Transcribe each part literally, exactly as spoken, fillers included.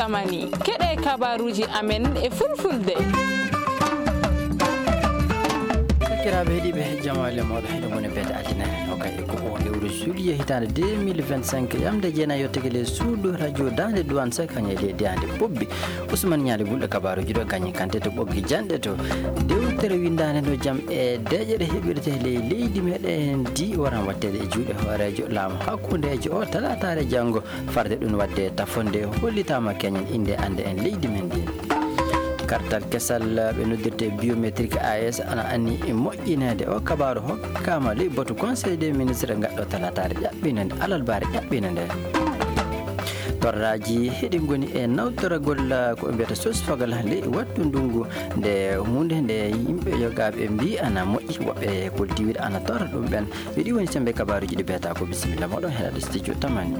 Mani, keɗe kabaruuji amen e fulfulde. Sakiraaɓe heɗiiɓe, jamaale mooɗo heɗo mone beete altine, o kay e ko o lewru juillet hitaande deux mille vingt-cinq, yamde jeenayi yo tegele suudu radio Daande Duwaan Sek, kañe leydi ande bobbi. Ousmane Ñaali Gulɗo kabaruuji ɗo gañi kante to ɓoggi janɗe to. Dewtere windaande no jam e deeƴere heɓirte ley leydi meɗen ndi waran watteede e juuɗe hooreejo laamu hakkundeejo o talaataare janngo. Farde ɗum waɗde tafonde hollitaama keñen innde annde en leydi men ndi. Kartal kesal ɓe noddirte biométrique A S ana anni e moƴƴineede. O kabaaru hokkaama ley batu Conseil des ministres ngaɗɗo talaataare ƴaɓɓinande, alarbaare ƴaɓɓinande. Torraaji heɗi ngoni e nawtoragol ko ɓe mbiyata source fagal ley wattu ndungu nde huunde nde yimɓe yogaaɓe mbi ana moƴƴi, woɓɓe koltiwir ana torra ɗum ɓen. Ɓe ɗi woni sembe kabaaruuji ɗi beeta ko bisimilla moɗon heɗade studio tamani.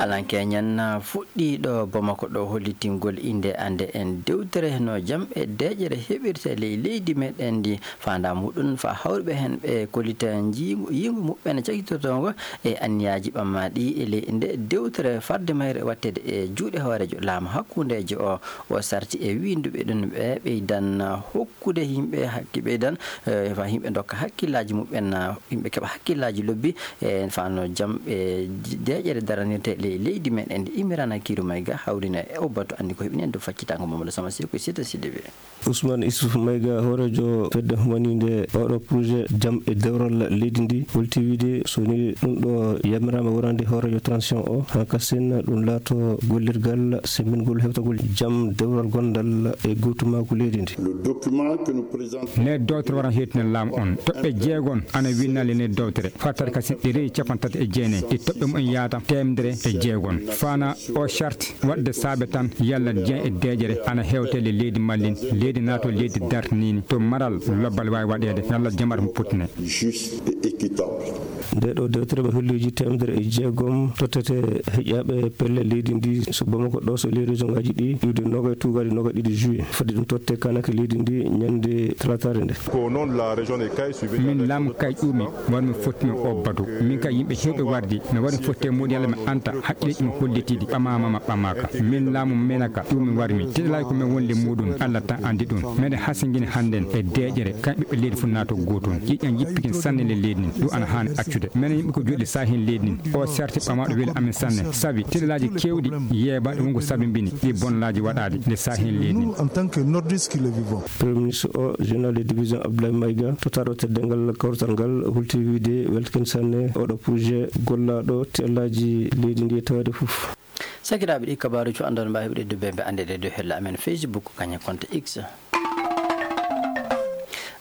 Alan keñen fuɗɗiiɗo Bamako ɗo hollitingol innde annde en dewtere no jam e deeƴere heɓirte ley leydi meɗen ndi. Faandaa muɗum fa hawriɓe heen ɓe kollita njiingu, yiingu muɓɓen cakitotoongo e anniyaaji ɓamaaɗi e ley nde dewtere farde mayre waɗteede e juuɗe hooreejo laamu hakkundeejo o. O sarti e wiinduɓe ɗum ɓe ɓeydan hokkude yimɓe hakki ɓeydan, eh, fa yimɓe ndokka hakkillaaji muɓɓen, yimɓe keɓa hakkillaaji lobbi, e fano jam e deeƴere daranirte ley leydi men en. Imirana Kiru Mayga hawrina e o batu anndi ko heɓi nen dow faccitango Mamadou Sama Seko e Sita Sidibé. Ousmane Issouf Maïga, hooreejo fedde humaniinde oɗo projet jam e dewral leydi ndi, holti wiide so ni ɗum ɗo yamiraama wonande hooreejo transition o, haa kasen ɗum laato gollirgal sembingol hewtagol jam dewral gondal e gootumaaku leydi ndi. Le document que nous présentons. Nde dowtere wara heewtina laamu on. Toɓɓe jeegon ana winnali nde dowtere. Fartaade kasen ɗi rewi capanɗe tati e jeenayi. Ɗi toɓɓe mumen yaata teemedere e jeegon. Fana o charte waɗde saabe tan yalla jeen e deeƴere ana hewte le leydi mallin, leydi naato leydi dartiniini to maral lobbal waawi waɗeede, yalla jamar mo puttine. Juste et équitable. Nde ɗo dewtere ɓe holliiji teemedere e jeegom tottete heƴaaɓe pelle leydi ndi so Bamako ɗo so ley région ngaji ɗi iwde noga e tuugaade noga ɗiɗi juillet. Fadi ɗum totte kanake leydi ndi ñande talataare nde. Ko noon la région de Kayes. Min laamu Kayes ƴuumi. Won mi fotti mi o batu. Min ka yimɓe heewɓe wardi. Mi wari fotte muɗum yalla mi anta haqqilleeji mo hollitiiɗi ɓamaama ma ɓamaaka. Min laamu menaka ɗum mi warmi. Tiɗalaaji ko min wonde muɗum. Allah tan anndi ɗum. Meɗen hasingini hannden e deeƴere. Kan ɓiɓɓe leydi fof naato gootum. Ƴiƴan yippikin sanne le leydi ndin. Ɗum ana haani accude. Menen yimɓe ko joɗi saahin leydi ndin. O sarti ɓamaaɗo weli amen sanne. Sabi tiɗalaaji keewɗi yeebaɗi wonko sabi mbini. Ɗi bonnaaji waɗaade le saahin leydi ndin. Nous, en tant que Nordistes qui le vivons. Premier ministre o, général de division Abdoulaye Maïga, tottaaɗo teddeengal kawrital ngal, hulti wiide weltakin sanne oɗo projet gollaaɗo tiɗalaaji leydi ndi e taweede fof. Sakiraaɓe, ɗi kabaaruuji fof anndon mbaawi heɓude dubbe ɓe anndeede dow hella amen Facebook, kañum konto X.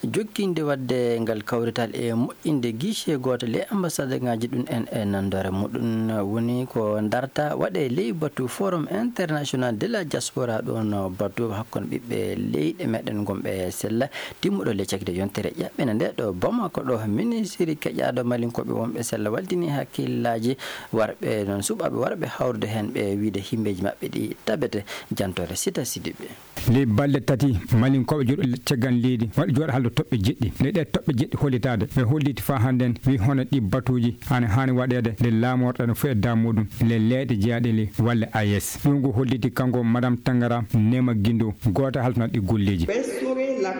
Jokkinde waɗde ngal kawrital e moƴƴinde guichet gooto ley ambassade ngaji ɗum en e nanndore muɗum woni ko darta waɗe ley batu Forum International de la Diaspora, ɗon batu hakkunde ɓiɓɓe leyɗe meɗen gonɓe sella. Timmuɗo le cakde yontere ƴaɓɓina nde ɗo Bamako ɗo, ministiri keƴaaɗo malinkooɓe wonɓe sella waldini hakkillaaji warɓe, noon suɓaaɓe warɓe hawrude heen ɓe wiide himbeeji maɓɓe ɗi tabete. Jantore Sita Sidibe. Ley balɗe tati, malinkooɓe jooɗo caggal leydi waɗi jooɗo haldo toɓɓe jeɗɗi. Nde ɗee toɓɓe jeɗɗi hollitaade, ɓe holliti faa hannden wi hono ɗi batuuji ana haani waɗeede nde laamorɗe no fof e daamuɗum le leyɗe jeyaaɗe le walla A E S. Ɗum ko holliti kanko Madame Tangara Nema Gindo, gooto haltanaɗo ɗi golleeji.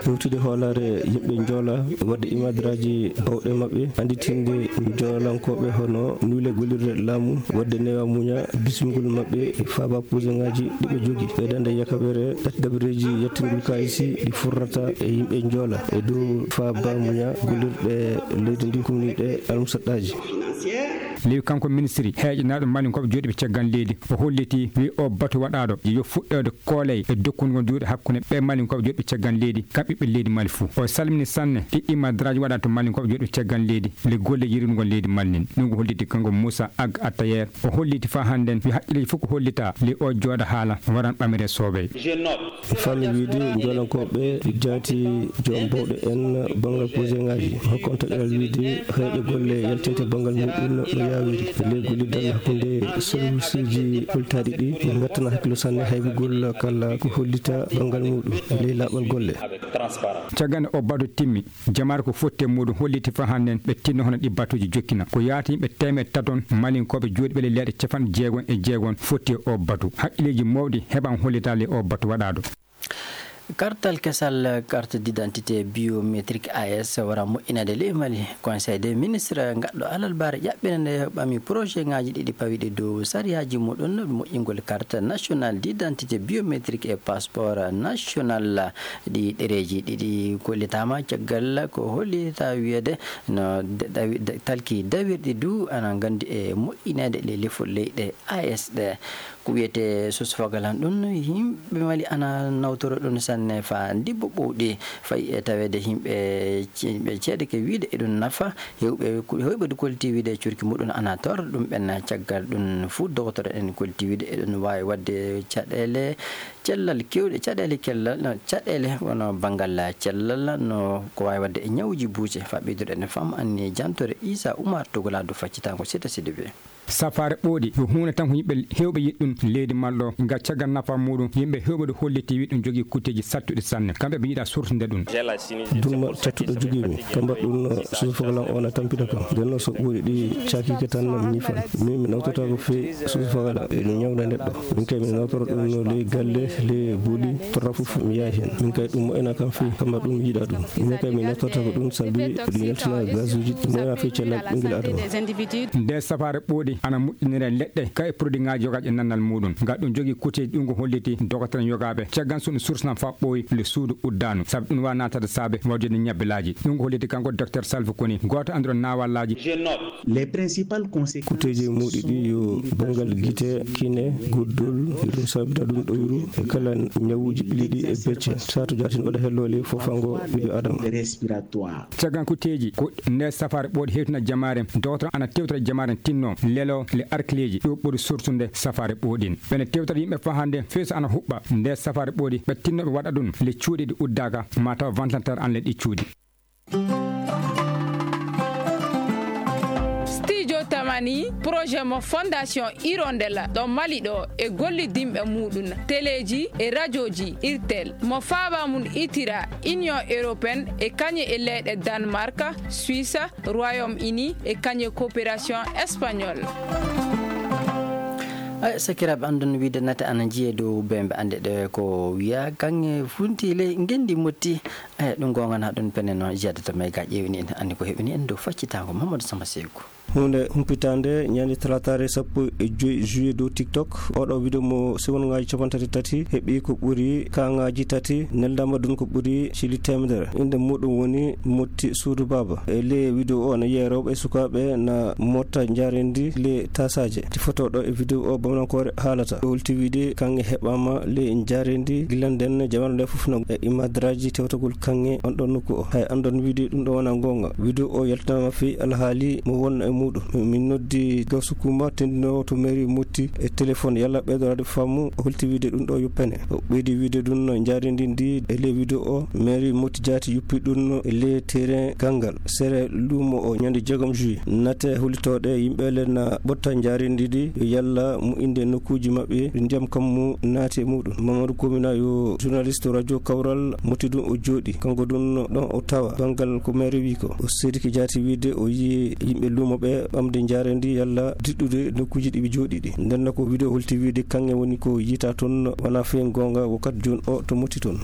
Ɗowtude hoolaare yimɓe njoola, waɗde imadraaji bawɗe maɓɓe, annditinde njoolankooɓe hono nuule gollirde laamu, waɗde newa muña, bismingol maɓɓe e faaba puuseŋaaji ɗi ɓe jogi, ɓeydande yakaɓere ɗatti dabareeji yettingol kaayisi ɗi furrata e yimɓe njoola e dow faaba muña gollirɗe leydi ndi kumniiɗe almusaɗɗaaji. Ley kanko ministiri heeƴanaaɗo malinkooɓe jooɗiiɓe caggal leydi, o holliti, wi o batu waɗaaɗo yo fuɗɗoode kooley e dokkungol juuɗe hakkunde ɓee malinkooɓe jooɗiiɓe caggal leydi, kam ɓiɓɓe leydi Mali fuu. O salmini sanne ɗi imadraaji waɗaa to malinkooɓe jooɗiiɓe caggal leydi, le golle yiɗirngol leydi Mali ndin. Ɗum ko holliti kanko Moussa Ag Attayer. O holliti faa hannden wi haqqilleeji fof ko hollitaa le o jooɗa haala waran ɓamire soobey. Faami wiide njoolankooɓe jaati joom bawɗe en banngal puuseŋaaji. Hokkonta ɗeɗal wiide heeƴe golle yaltinte banngal muɗum no Awiri, e ley gollital hakkunde serviceeji ɓoltaaɗi ɗi, ɓe ngattanaa hakkillo sanne haybugol kala ko hollita banngal muɗum e ley laaɓal golle. Caggal nde o batu timmi, jamaare ko fotti e muɗum holliti faa hannden ɓe tinno hono ɗi batuuji jokkina. Ko yaati yimɓe teemeɗɗe taton malinkooɓe jooɗiiɓe ley leyɗe capanɗe jeegom e jeegom fotti e o batu. Haqqilleeji mawɗi heɓaama hollitaa ley o batu waɗaaɗo. Kartal kesal, carte d'identité biométrique A S, wara moƴƴinaade ley Mali. Conseil des ministres gaɗɗo alarbaare ƴaɓɓinande ɓami projet ŋaaji ɗiɗi pawiɗi dow sariyaaji muɗum moƴƴingol carte nationale d'identité biométrique e passeport national. Ɗi ɗereeji ɗiɗi kollitaama caggal ko hollita wiyeede no da-, dawi-, da-, talki dawirɗi du ana nganndi e moƴƴineede ley lefol leyɗe A S ɗe. Ko wiyetee source fogal han ɗum, yimɓe Mali ana nawtoro ɗum sanne faa dibbo ɓowɗi. Fayi e taweede yimɓe ce-, yimɓe ceede ke wiide eɗum nafa, heewɓe ku-, heewɓe du kolliti wiide e curki muɗum ana tawra ɗum ɓen. Caggal ɗum fuu dogotoro en kolliti wiide eɗum waawi waɗde caɗeele cellal keewɗe, caɗeele cellal, no, caɗeele wano banngal cellal, no ko waawi waɗde e ñawuuji buuse. Faa ɓeydude en fam anni jantore Isa Umar Togolaa du faccitaango Sita Sidibe. Safaare ɓooɗi ko huunde tan ko yimɓe heewɓe yiɗi ɗum leydi Mali ɗo, ngam caggal nafa muɗum, yimɓe heewɓe ɗo holliti wi ɗum jogii kutteeji sattuɗi sanne. Kamɓe ɓe yiɗa surtude ɗum. Dumma cattuɗo jogii mi, kamba ɗum no suufalan o na tampita kam. Nden no so ɓooɗi ɗi cakiike tan no mi ñifan. Min mi nawtata ko fii suufafagala, e ɗum ñawda neɗɗo. Min kay mi nawtora ɗum no ley galle, ley boli, torra fof mi yahi hen. Min kay ɗum moƴƴana kam fii, kamba ɗum mi yiɗa ɗum. Min kay mi nawtorta ko ɗum sabi ɗum yaltina gasuuji, ɗum moƴƴana fii cellal ɓinngel Adama. Nde safaare ɓooɗi ana moƴƴinira leɗɗe, kay e produit ŋaaji yogaaji e nannal muɗum. Ngal ɗum jogii kuteeji ɗum ko holliti dogotoren yogaaɓe. Caggal so ɗum sursnan faa ɓooyi le suudu uddaanu. Sabi ɗum waawa naatade saabe waɗude ñabbelaaji. Ɗum ko holliti kanko docteur Salva Koni, gooto anndiro naawalaaji. Je note. Les principales conséquences. Kuteeji muuɗi ɗi yo banngal gite, kine, guddol, ɗum sabida ɗum ɗoyru, e kala ñawuuji ɓiliɗi e becce. Saatu jaatin waɗa helloole fofango ɓiɗo Adama. Respiratoire. Caggal kuteeji ko nde safaare ɓooɗi hewtina jamaare, dowtoro ana tewtora jamaare tinno, lelo, le arkileeji, ɗo ɓuri sortude safaare ɓooɗin. Ɓene tewtora yimɓe faa hannde, feeso ana huɓɓa, nde safaare ɓooɗi, ɓe tinno ɓe waɗa ɗum, le cuuɗi ɗi uddaaka, ma taw ventilateur an le ɗi cuuɗi. Studio Tamani, projet mo Fondation Hirondelle ɗo Mali ɗo e gollidinɓe muɗum, teleeji e rajooji Irtel, mo faaba mum itira Union Européenne e kañe e leyɗe Danemark, Suisse, Royaume-Uni e kañe coopération espagnol. Ay, sakiraaɓe, anndon wiide nate ana jiyee dow bembe annde ɗe ko wiya kaŋŋe funti ley ngenndi motti. Ay, ɗum goonga na ɗum pene noon jiyade to may ga ƴeewni en anndi ko heɓini en dow faccitaango Mamadou Samba Seeku. Huunde humpitaande ñande talaataare sappo e joy juillet dow TikTok. Oɗo video mo segonŋaaji capanɗe tati tati heɓi ko ɓuri kaŋŋaaji tati, neldaama ɗum ko ɓuri cili teemedere. Innde muɗum woni Motti Suudu Baaba. E ley video o na yiya rewɓe e sukaaɓe na motta njaareendi le tasaaje. Ti foto ɗo e video o bamnankoore haalata. Holti wiide kaŋŋe heɓaama le njaareendi gila nden jamaanu nde fof no e imadraaji tewtagol kaŋŋe on ɗon nokku o. Hay anndon wiide ɗum ɗo wona goonga. Video o yaltanaama fii alhaali mo wonna e muɗum. Min noddi Gawsu Kuuma tendinoowo to mairie Motti e téléphone yalla ɓeydoraade faamu. O holti wiide ɗum ɗo yoppene. O ɓeydi wiide ɗum no njaareendi ndi e ley video o. Mairie Motti Jaati yoppi ɗum no e ley terrain Gangal, sere luumo o ñande jeegom juillet. Nate hollitooɗe yimɓe le na ɓotta njaareendi ndi yo yalla moƴƴinde nokkuuji maɓɓe ɗi ndiyam kammu naati e muɗum. Mamadou Komina yo journaliste radio Kawral Motti ɗum o jooɗi. Kanko ɗum ɗon o tawa banngal ko maire wi ko. O seedike jaati wiide o yiyi yimɓe luumo ɓe ɓamde njaareendi yalla diɗɗude nokkuuji ɗi ɓe jooɗi ɗi. Nden no ko video holti wiide kaŋŋe woni ko yiita toon wona feen goonga wakkati jooni o to Motti toon.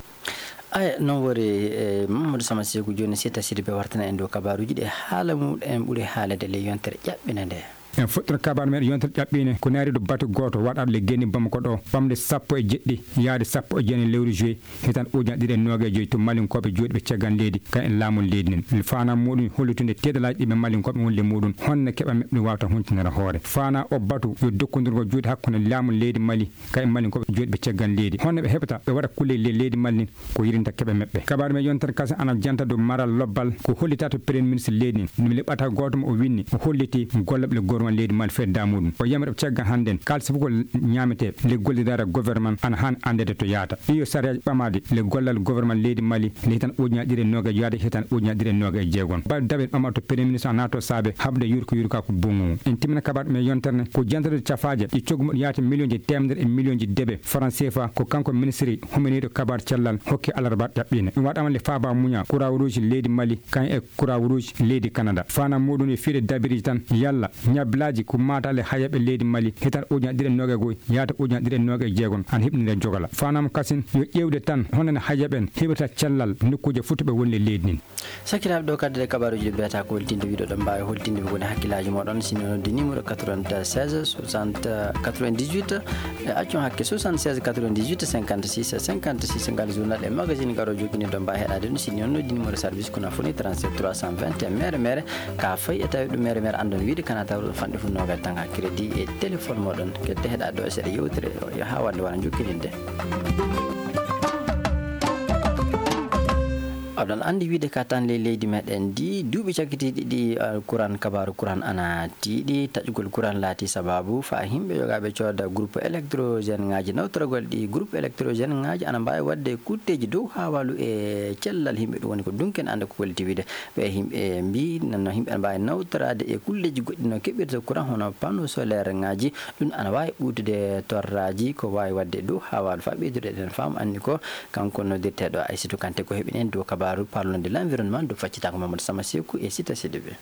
Aya, noon wori, e Mamadou Sama Seeku jooni Sita Sidibe wartana en dow kabaaruuji ɗi haala mum en ɓuri haalede ley yontere ƴaɓɓine nde. En fuɗɗoto kabaaru men yontere ƴaɓɓine ko naariiɗo batu gooto waɗaaɗo le geni Bamako ɗo ɓamde sappo e jeɗɗi yaade sappo e jeenayi lewru juillet hitan ujunere ɗiɗi e noogay joyi to malinkooɓe jooɗiiɓe caggal leydi kan e laamu leydi nden. Faanaa muɗum hollitude teedalaaji ɗi ɓe malinkooɓe wonde muɗum honno keɓa meɓɓe wawta huntinere hoore. Faanaa o batu yo dokkondirgol juuɗe hakkunde laamu leydi Mali kan e malinkooɓe jooɗiiɓe caggal leydi. Honno ɓe heɓata ɓe waɗa kulle le leydi Mali ko yiɗinta keɓe meɓɓe. Kabaaru men yontere kasa ana janta dow maral lobbal ko hollita to premier ministre leydi ndi. Ɗum le ɓata gooto mo o winni o holliti golle ɓe le Ɗum leydi Mali fedda muɗum. O yamira ɓe caggal hannden kala sifugol ñaamete le gollidara gouvernement ana han anndede to yaata. Ɗi yo sariyaaji ɓamaade le gollal gouvernement leydi Mali le hitan ujunaaji ɗiɗi e noogaye yaade hitan ujunaaji ɗiɗi e noogaye e jeegon. Baɗ daɓe ɓamaɗo to premier ministre a naato saabe haɓde yurko yurka ko bungu. En timmina kabaɗo men yontere ne ko jantorde cafaaje ɗi coggu muɗum yaata million ji teemedere e million ji debe franc C F A ko kanko ministre huminiiɗo kabaar cellal hokki alarba ɗaɓɓiine. Ɗum waɗama le faaba muña Croix Rouge leydi Mali kan e Croix Rouge leydi Canada. Faanam muɗum e fiide dabiriji tan yalla ñabilaaji ko maataale hayaɓe leydi Mali hitan ujunaaji ɗiɗi e noogaye goy yaata ujunaaji ɗiɗi e noogaye e jeegon ana hiɓnire jogala. Faanam kasin yo ƴeewde tan honno hayaɓe en heɓirta cellal nokkuuje fof to ɓe woni e leydi ndin. Sakiraaɓe, ɗo kadde ɗe kabaruuji ɗi mbiyata ko holtinde wiɗo ɗon mbaawi holtinde ɓe woni hakkillaaji moɗon si mi noddi numéro quatre-vingt-seize soixante quatre-vingt-dix-huit e accon hakke soixante-seize quatre-vingt-dix-huit cinquante-six cinquante-six ngal journal e magazine garo joginirɗo mbaawi heɗade ɗum si noon noddi numéro service kono foni trente-sept trois cent vingt et un mere mere ka fayi e tawi ɗum mere mere anndon wiide kana tawruɗo fanɗe fof nogal tanga crédit e téléphone moɗon kedde heɗade ɗo e seeɗa yewtere o yo ha wande wona jokkininde. Oɗon anndi wiide ka tan ley leydi meɗen ndi duuɓi cakkitiiɗi ɗi uh, kuran kabaru kuran ana tiiɗi taƴugol kuran laati sababu fa himɓe yogaaɓe cooda groupe électrogène ngaji nawtoragol ɗi groupe électrogène ngaji ana mbaawi waɗde kutteeji dow haawalu e cellal himɓe ɗum woni ko dunken annde ko koliti wiide ɓe himɓe mbi nanno himɓe ana mbaawi nawtoraade e kulleeji goɗɗi no keɓirta kuran hono panneau solaire ngaji ɗum ana waawi ɓuutude torraaji ko waawi waɗde dow haawalu fa ɓeydude eɗen faam anni ko kanko noddirteeɗo Aysatu Kante ko heɓin en dow kabaaru parlonde l'environnement dow faccitaango Mamadou Sama Seku e Sita Sidibé.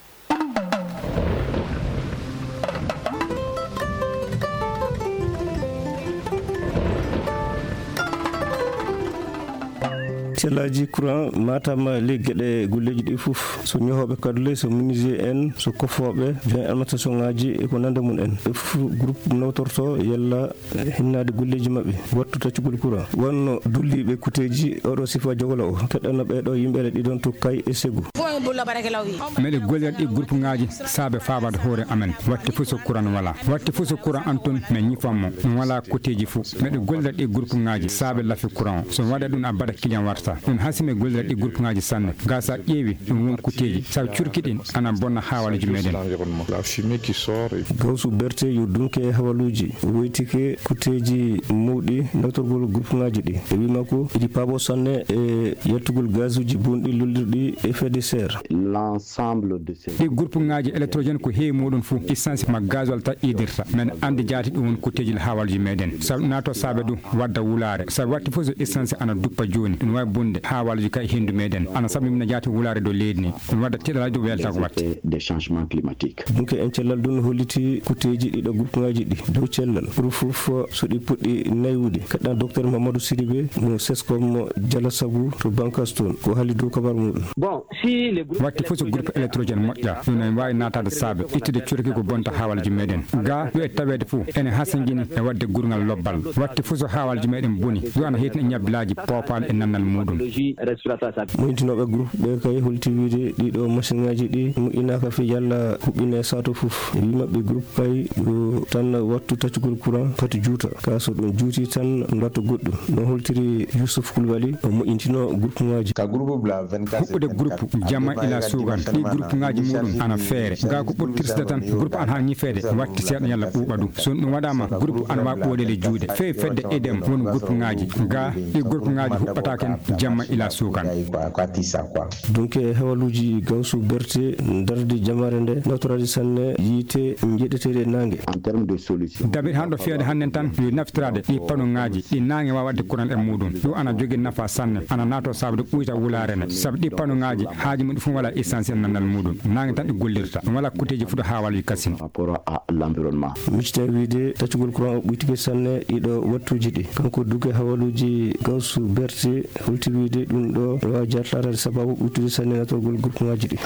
Cellaaji courant matam ley geɗe golleeji ɗi fof so ñohooɓe kadule so menuisier en so kofooɓe joint alimentation ngaji e ko nanda mum en ɓe fof groupe nawtorto yalla hinnaade golleeji maɓɓe wattu taccugol courant wonno dulliiɓe kuteeji oɗo sifa jogola o keɗɗanno ɓeeɗo yimɓe ene ɗiɗon to kay e segu. Meɗe gollira ɗi groupe ngaji saabe faabade hoore amen watti fof so courant wala watti fof so courant an toon min ñifan mo ɗum wala koteeji fof meɗe gollira ɗi groupe ngaji saabe lafi courant o so waɗa ɗum a baɗa client warta ɗum hasime gollira ɗi groupe ngaji sanne ga sa ƴeewi ɗum won koteeji sabu curki ɗin ana bonna hawaleji meɗen. Gawsu berte yo dunke hawaluuji woytike kutteeji mawɗi nawtorgol groupe ngaji ɗi e wii makko iɗi paabo sanne e yaltugol gazuuji bonɗi lollirɗi effet de serre. L'ensemble de ces ɗi groupe ngaji électrogène ko heewi muɗum fof essence ma gasoil ta idirta men andi jaati ɗum won kutteeji hawaluuji meɗen sabu nato saabe ɗum wadda wulaare sabu watti fof so essence ana duppa jooni ɗum wawi bonde hawaluuji ka e hendu meɗen ana sabu mina jaati wulaare dow leydi ni ɗum wadda tiɗalaji ɗum welta ko watte. Des changements climatiques. Dunke en cellal ɗum holliti kutteeji ɗiɗo groupe ngaji ɗi dow cellal pour fof so ɗi puɗɗi naywude kaɗɗan docteur mamadou sidibe mo sescom jala sabu to bankas toon ko haali dow kabar muɗum. Bon si le groupe watti fof so groupe électrogène moƴƴa ɗum en wawi natade saabe ittude corki ko bonta hawalji meɗen ga yo e taweede fof ene hasangini e wadde gurngal lobbal watti fof so hawalji meɗen boni yo ana heytina e ñabbilaji poopal e nannal muɗum. Moytinooɓe groupe ɓe kay holti wiide ɗiɗo machine ngaji ɗi moƴƴinaaka fii yalla huɓɓine sato fof e wi maɓɓe groupe kay yo tan wattu taccugol courant fati juuta ka so ɗum juuti tan mbatta goɗɗum no holtiri yousuf kulbali o moƴƴintino groupe ngaji. Huɓɓude groupe jamma ila suugan ɗi groupe ngaji muɗum ana feere ga ko ɓurtirsde tan groupe an ha ñifeede watti seeɗa yalla ɓuuɓa ɗum so ɗum waɗama groupe ana wawi ɓooɗele juuɗe fewi fedde edem won groupe ngaji ga ɗi groupe ngaji huɓɓata ken jamma ila suugan. Donc e hawaluuji gawsu berte darde jamare nde nawtoraade sanne yiite njeɗeteeɗe naange. Daɓir hanɗo fiyade hannden tan yo naftiraade ɗi pano ngaji ɗi naange wawa waɗde kuran e muɗum ɗum ana jogi nafa sanne ana nato saabde ɓuyta wulaare ne sabu ɗi pano ngaji haaji mum ɗi fof wala essentiel nannal muɗum naange tan ɗi gollirta ɗum wala kuteeji fuɗo hawaluuji kasin. Rapport à l'environnement. Miccita wiide taccugol courant o ɓuytike sanne ɗiɗo wattuuji ɗi kanko duke hawaluuji gawsu berte holti wiide ɗum ɗo no waawi jartaade sababu ɓuytude sanne natorgol gurkuŋaaji ɗi.